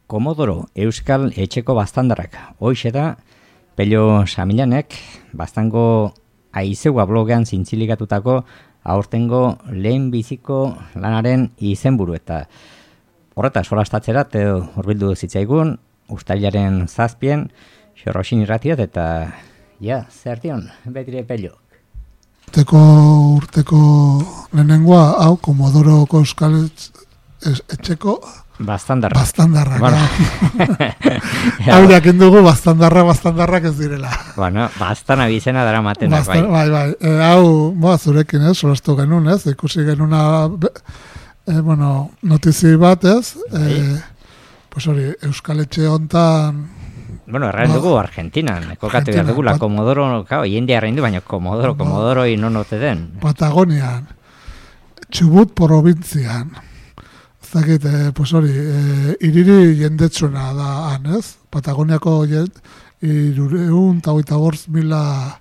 Komodoro Euskal Etxeko Baztandarrak. Hoixe da, Pello Samilanek, baztango aizeua blogean zintzilikatutako aurtengo lehen biziko lanaren izenburu eta horreta solastatzerat hurbildu zitzaigun, ustailaren 7 Xorroxin irratiat eta zertion, betire Pello. Urteko lehenengoa, hau, Komodoroko Euskal Etxeko Baztandarrak. Bueno. Haureak indugu baztandarrak ez direla. Bueno, baztana bizena dara matenak, bai. Bai. Hau, zurekin ez, solastu genuen ez, ikusi genuna, notizi bat ez, pues hori, Euskal Etxe hontan... Bueno, erraen dugu Argentinan, kokatu behar dugu, la Komodoro, jendia erraen du, baina Komodoro inonote den. Patagonian, Txubut probintzian, zakit, pues hori, iriri jendetsuna da han, ez? Patagoniako 325.000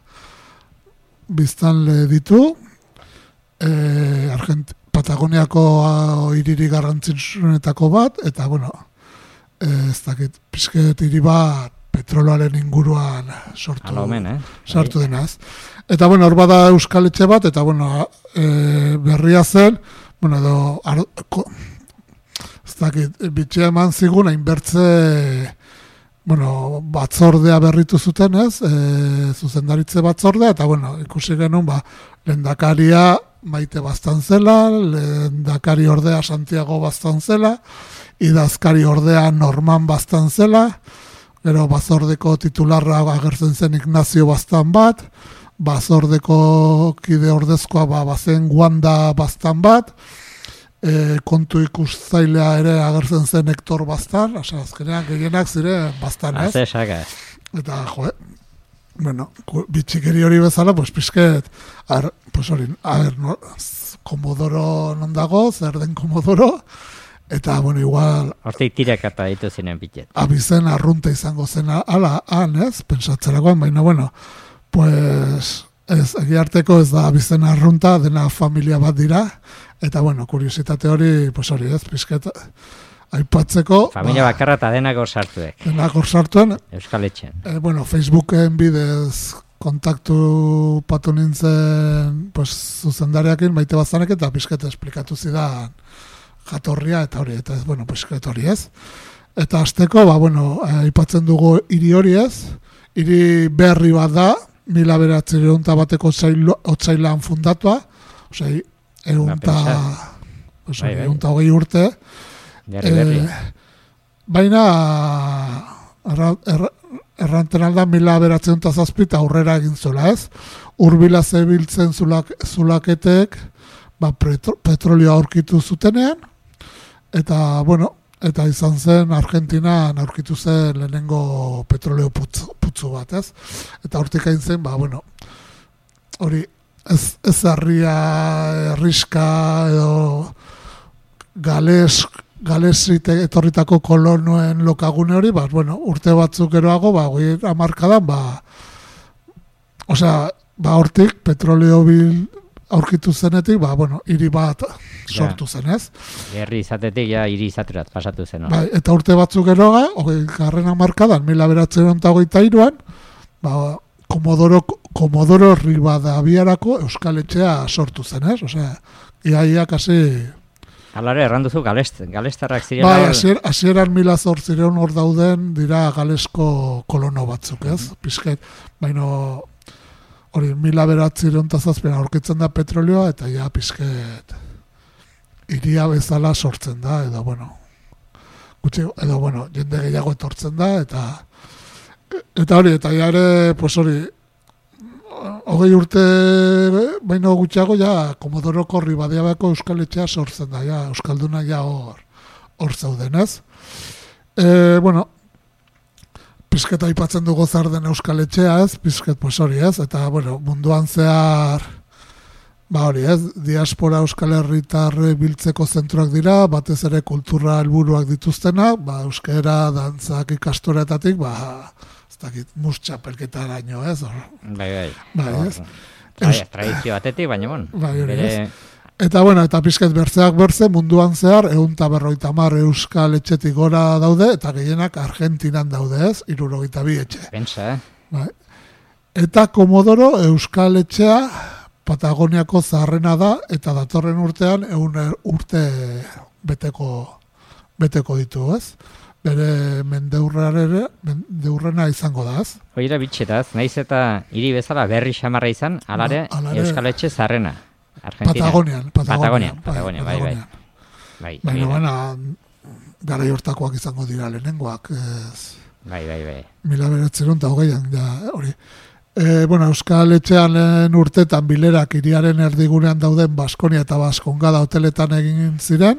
biztanle ditu, Patagoniako iriri garrantzitsuenetako bat, eta, ez dakit, pizket hiri bat petroloaren inguruan sortu denaz. Eta, hor bada Euskal Etxe bat, eta, berria zen, ez dakit, bitxea eman zigun, hainbertze, batzordea berritu zuten ez, zuzendaritze batzordea, eta, ikusi genuen, lehendakaria Maite Baztan zela, lehendakari ordea Santiago Baztan zela, idazkari ordea Norman Baztan zela, gero batzordeko titularra agertzen zen Ignacio Baztan bat, batzordeko kide ordezkoa bazen Wanda Baztan bat, kontu ikustzailea ere agertzen zen Hector Baztan, azkenean gehienak zire Baztan, ez? Eta, bitxikeri hori bezala, pizket, Komodoro non dago, zer den Komodoro, eta, igual... Hortik tirakata ditu zinen bitet. Abizen arrunta izango zen ala, ez? Pensatzerakoan, baina, ez, egiarteko ez da abizen arrunta, dena familia bat dira, eta, kuriositate hori, ez, pizket, aipatzeko... Familia bakarra eta denak hor sartuek. Denak hor sartuen. Euskal Etxen. Facebooken bidez kontaktu patu nintzen zuzendariakin, Maite Baztanek, eta pizket esplikatu zidan jatorria, eta hori, eta pizket hori ez. Eta hasteko, aipatzen dugu hiri hori ez, hiri berri bat da, 1900 otsailan fundatua, egunta hogei urte, baina erranten alda 1907 aurrera egin zula ez, urbila zebiltzen zulaketek petrolioa aurkitu zutenean, eta eta izan zen Argentinan aurkitu zen lehenengo petroleo putzu bat ez, eta hortik hain zen, hori ez harria erriska edo galesite etorritako kolonoen lokagune hori, urte batzuk geroago, hamarkadan, hortik petroleo aurkitu zenetik, hiri bat sortu zen, ez? Herri izatetik, hiri izaterat pasatu zen. Eta urte batzuk geroaga, garren hamarkadan, 1923an, Komodoro Rivadaviarako Euskal Etxea sortu zen, ez? Ia kasi... Alare, erranduzu galestarrak zirela... Hasieran 1800 hor dauden dira galesko kolono batzuk, ez? Pizket, hori 1907 aurkitzen da petrolioa, eta ja pizket iria bezala sortzen da, edo jende gehiago etortzen da, eta hori, eta ja ere, hori, hogei urte baino gutxiago, Komodoroko Rivadaviako Euskal Etxea sortzen da, Euskalduna hor zauden, ez? Pizket aipatzen dugu zer den Euskal Etxea, ez? Pizket, hori, ez? Eta, munduan zehar, hori, ez? Diaspora Euskal Herritarre biltzeko zentroak dira, batez ere kultura helburuak dituztenak, euskera, dantzak ikastoretatik, ez dakit, mustxapelketaraino, ez? Bai. Ez? Tradizio batetik, baina, bere Eta, bueno, eta pizket bertzeak bertze munduan zehar, 150 euskal etxetik gora daude, eta gehienak Argentinan daude, ez? 62 etxe. Pentsa, Bai. Eta Komodoro euskal etxea Patagoniako zaharrena da, eta datorren urtean 100 urte beteko ditu, ez? Bere mendeurrena izango da, ez? Hoira bitxetaz, naiz eta hiri bezala berri xamarra izan, alare euskal etxe zaharrena. Patagonian, bai. Baina, gara hortakoak izango dira lehenengoak. Bai. 1920an, ja, hori. Euskal etxean lehen urtetan bilerak hiriaren erdigunean dauden Baskonia eta Baskongada hoteletan egin ziren,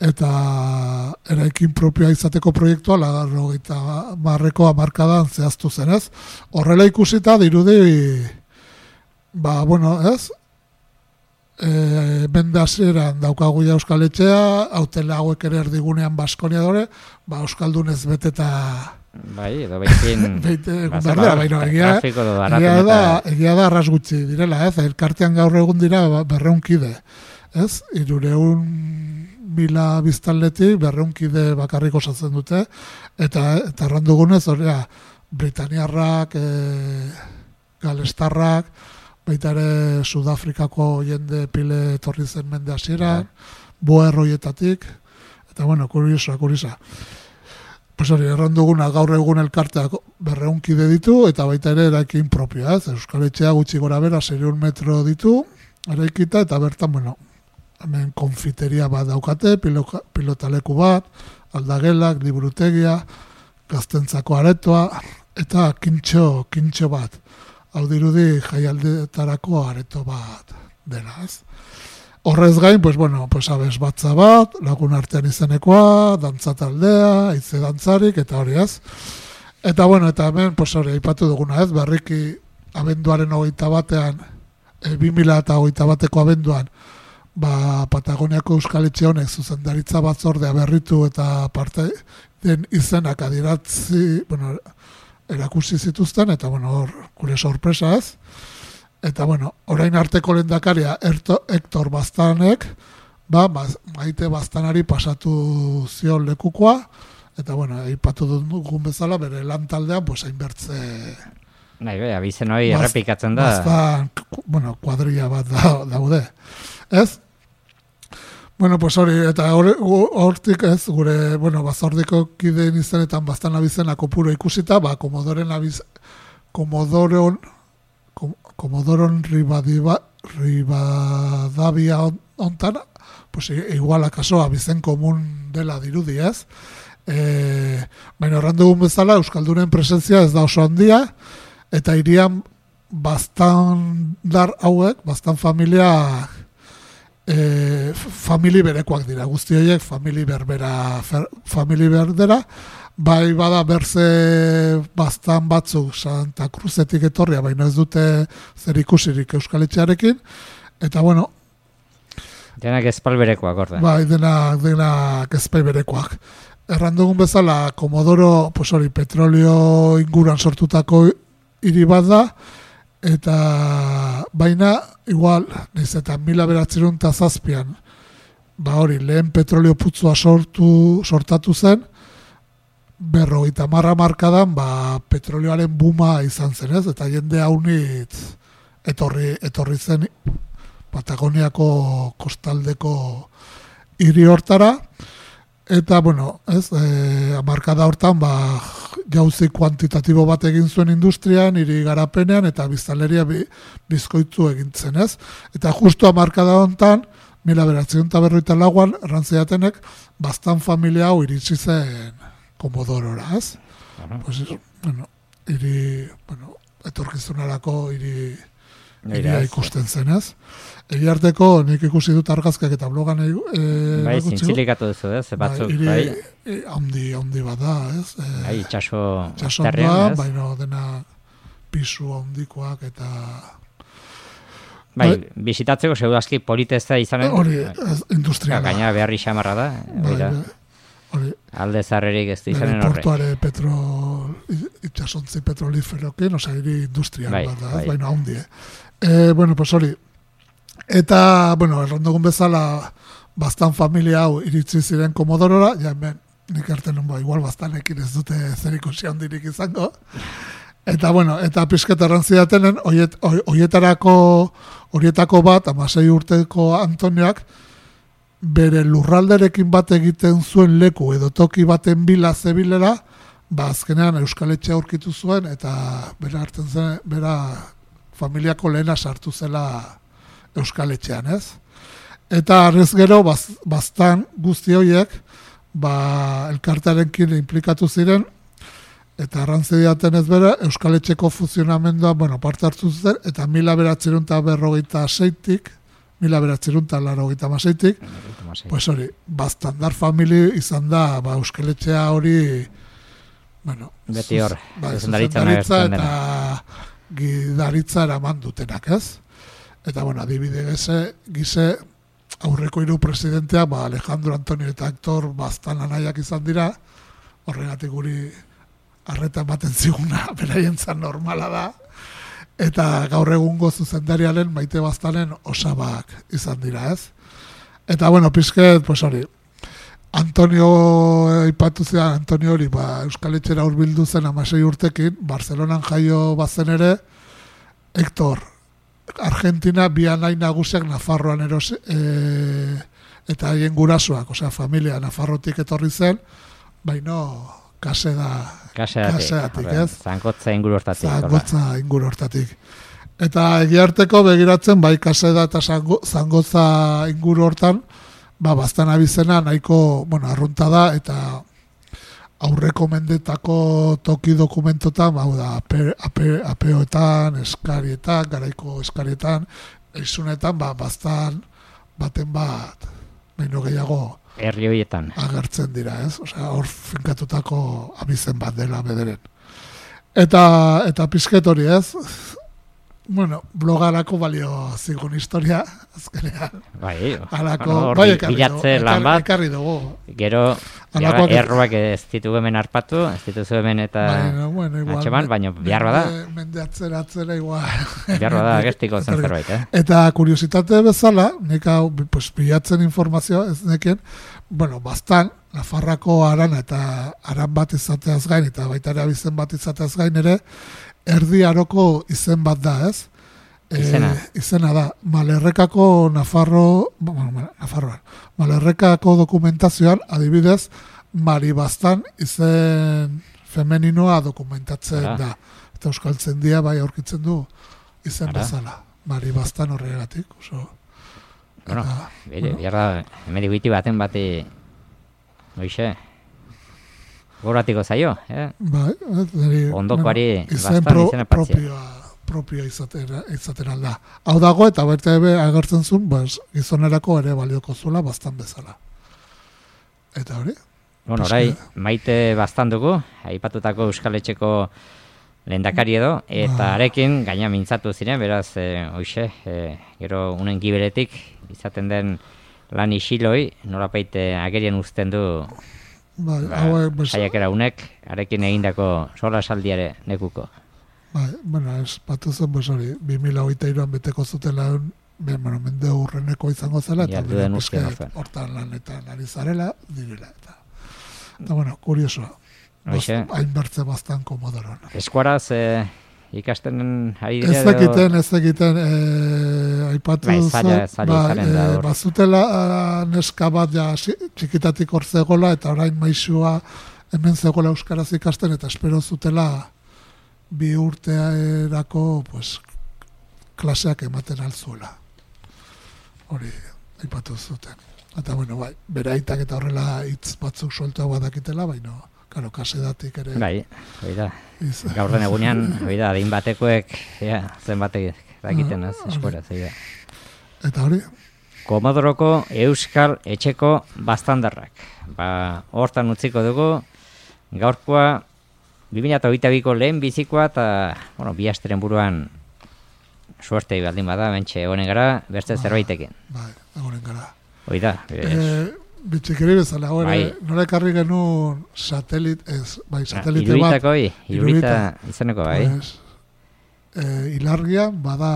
eta eraikin propioa izateko proiektua 80ko hamarkadan zehaztu zenez. Horrela ikusita dirudi, ez? Mende hasieran daukagu ja euskal etxea, hautela hauek ere erdigunean Baskonia dore, euskaldunez beteta bai, edo behin egia da arras gutxi direla, ez? Elkartean gaur egun dira 200 kide, ez? 300.000 biztanletik 200 kide bakarrik osatzen dute, eta errandugunez, britaniarrak, galestarrak, baita ere Sudafrikako jende pile etorri zen mende hasieran, boer hoietatik, eta kuriosa. Pues hori, erranduguna gaur egun elkarteak 200 kide ditu, eta baita ere eraikin propioa, ez? Euskal etxea gutxi gora bera 600 metro ditu, eraikita, eta bertan, hemen konfiteria bat daukate, pilotaleku bat, aldagelak, liburutegia, gaztentzako aretoa, eta kintxo bat. Hau dirudi jaialdetarako areto bat dela, ez? Horrez gain, abes batza bat, lagun artean izenekoa, dantzataldea, hitze dantzarik, eta hori, ez? Eta hemen, aipatu duguna, ez? Berriki abenduaren 21-ean, 2021ko abenduan, Patagoniako euskal etxe honek zuzendaritza batzordea berritu eta parte den izenak adiratzi, erakusi zituzten, eta hor, gure sorpresa ez. Eta orain arteko lehendakaria Hector Baztanek, Maite Baztanari pasatu zion lekukoa, eta aipatu dugun bezala, bere lan taldean, hainbertze... Abizen hori errepikatzen da. Baztan, kuadrilla bat daude. Ez? Hori, eta hortik ez, gure, bazordiko kideen izenetan Baztan abizena kopuro ikusita, Komodoron Ribadavia ontan, igual akaso abizen komun dela dirudi, ez? Baina horren dugun bezala, Euskaldunen presentzia ez da oso handia, eta hirian Baztandar hauek, Baztan familia famili berekoak dira, guzti horiek famili berdera, bai bada berze Baztan batzuk Santa Cruzetik etorria, baina ez dute zer ikusirik Euskal Etxearekin, eta denak ezpal berekoak, orde. Bai, denak ezpal berekoak. Errandugun bezala, Komodoro, petrolio inguruan sortutako hiri bat da, eta baina, igual, nahiz eta 1907an, lehen petrolio putzua sortatu zen, 50 markadan, petrolioaren buma izan zen, ez? Eta jende haunitz etorri zen Patagoniako kostaldeko hiri hortara, eta, hamarkada hortan, jauzi kuantitatibo bat egin zuen industrian, hiri garapenean, eta biztanleria bizkoitzu egin zen, ez? Eta justu hamarkada hontan, 1954an, errantziatenek, Baztan familia hau iritsi zen Komodorora, ez? Etorkizunarako hiria ikusten zen, ez? Egiarteko nik ikusi dut argazkak eta blogan zintzilikatu duzu, ez? Batzuk, handi bat da, ez? Itxaso da, baina dena pisu handikoak eta... Bizitatzeko seudazki politezta izanen? Hori, industriala. Gaina beharri xamarra da, alde zarrerik ez da izanen horre. Portuare itxasontzi petroliferokin, hiri industrial bat da, baina handi, hori. Eta, bueno, errandugun bezala, bastan familia hau iritsi ziren Komodorora, ja hemen nik arte igual bastanekin ez dute zer ikusi handirik izango. Eta, bueno, eta pizket errantzidatenen, horietako bat, 16 urteko Antonioak, bere lurralderekin bat egiten zuen leku edo toki baten bila zebilera, azkenean Euskaletxea aurkitu zuen, eta bera familiako lehena sartu zela Euskaletxean, ez? Eta arrez gero, bastan guzti horiek, elkartearekin implikatu ziren, eta arrantzi diaten ez bera, Euskaletxeko funtzionamendua, parte hartu zen, eta 1946-tik, 1986-tik, pues hori, bastandar famili izan da, Euskaletxea hori, beti hor, zuzendaritza eta gidaritza eraman dutenak, ez? Eta, adibide gize, aurreko 3 presidentea, Alejandro Antonio eta Hector bastan anaiak izan dira, horregatik guri arreta ematen ziguna, beraientzat normala da, eta gaur egungo zuzendariaren Maite Bastanen osabak izan dira, ez? Eta, pizket, pues hori, Antonio aipatu zean, Antonio hori, Euskaletxera hurbildu zen 16 urtekin, Barcelonan jaio bazen ere, Hector, Argentina, bi anai nagusiak Nafarroan eta haien gurasoak, familia Nafarrotik etorri zen, baino kaseatik, ez? Zangotza inguru hortatik. Eta egiarteko begiratzen, kaseda eta zangotza inguru hortan, bastan abizena nahiko, arrunta da, eta aurreko mendetako toki dokumentotan, apeoetan, eskarietan, garaiko eskarietan, eizunetan, bastan baten bat, baino gehiago, herri horietan agertzen dira, ez? Hor finkatutako abizen bat dela bederen. Eta pizket hori, ez? Blogarako balio zigun historia, azkenean. Bilatze lan bat, ekarri dugu. Gero, erroak ez ditugu hemen harpatu, ez dituzu hemen eta atxeman, baina behar bada. Mende atzera igual. Behar bada, gestiko zen zerbait, Eta kuriositate bezala, nik hau, bilatzen informazioa ez nekien, bastan, Nafarrako arana eta aran bat izateaz gain, eta baita ere abizen bat izateaz gain ere, Erdi Aroko izen bat da, ez? Izena da. Malerrekako Malerrekako dokumentazioan, adibidez, Mari Bastan izen femeninoa dokumentatzen da. Eta euskaltzen dia bai aurkitzen du izen bezala. Mari Bastan horregatik. Biarra, hemen diguiti baten bati, oixe, goratiko zaio, ondokoari bastan izena patzia. Propioa izaten alda. Hau dago eta baita agertzen zuen, gizonerako ere balioko zula bastan bezala. Eta hori? Orai, Maite Bastan dugu, aipatutako Euskaletxeko lehendakari edo, eta arekin gaina mintzatu ziren, beraz, hoxe, gero unen giberetik izaten den lan isiloi, norapeite agerien uzten du saiakera unek, arekin egindako sola saldiare nekuko. Ez batu zen, hori, 2023an beteko zutela mende urreneko izango zela, eta hortan lanetan ari zarela, direla. Eta, kuriosoa. Hainbertze bastan Komodoron. Eskuaraz ikasten ari dira? Ez egiten, aipatu bazutela neska bat txikitatik hor zegoela, eta orain maisua hemen zegoela euskaraz ikasten, eta espero zutela 2 urteerako klaseak ematen altzuela. Hori aipatu zuten. Eta, bere aitak eta horrela hitz batzuk soltua badakitela, baina, kasedatik ere. Gaurren egunean, adin batekoek, zenbatek dakiten eskuera, zeida. Eta hori? Komodoroko Euskal Etxeko Bastandarrak. Hortan utziko dugu, gaurkoa 2022ko lehen bizikoa, eta, bi asteren buruan suerte baldin bada, bentxe egonen gara, beste zerbaitekin. Egonen gara. Oida. Bitxikeri bezala, nola ekarri genuen satelite bat. Irurita izaneko, Ilargian, bada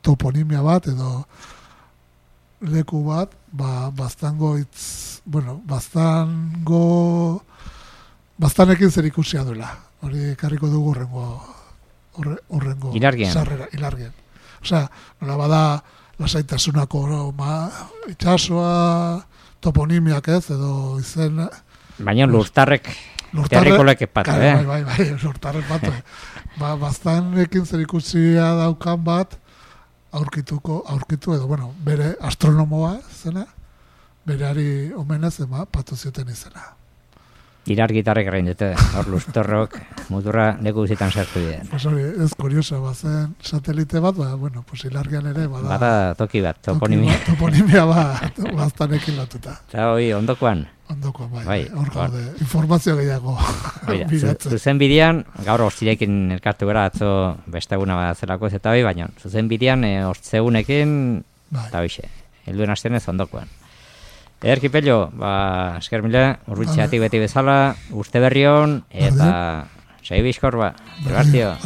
toponimia bat, edo leku bat, baztanekin zer ikusia duela. Hori ekarriko dugu urrengo sarrera, ilargien. Osea, nola bada lasaitasunako itxasoa, toponimiak ez, edo izen... Baina lurtarrek terrikolek epatu, Bai, lurtarrek batu. Baztanekin zer ikusia daukan bat, aurkitu edo, bere astronomoa zena, bereari omenez, patu zioten izena. Ilar gitarrek egin dute, hor luztorrok, muturra leku guzitan sartu dira. Pues hori, ez kuriosa, bazen satelite bat, ilargian ere, bada toki bat, toponimia. Toponimia baztanekin lotuta. Eta hoi, ondokoan? Ondokoan, bai, hor gaude, informazio gehiago bilatzen. Zuzen bidean, gaur hortzirekin elkartu gara, atzo besteguna bat zelako ez eta hoi, baina zuzen bidean hortzegunekin, eta hoxe, helduen hastenez ondokoan. Erkipello, esker mila, urbitzeatik beti bezala, uste berri hon, eta segi bizkor, Gerartio.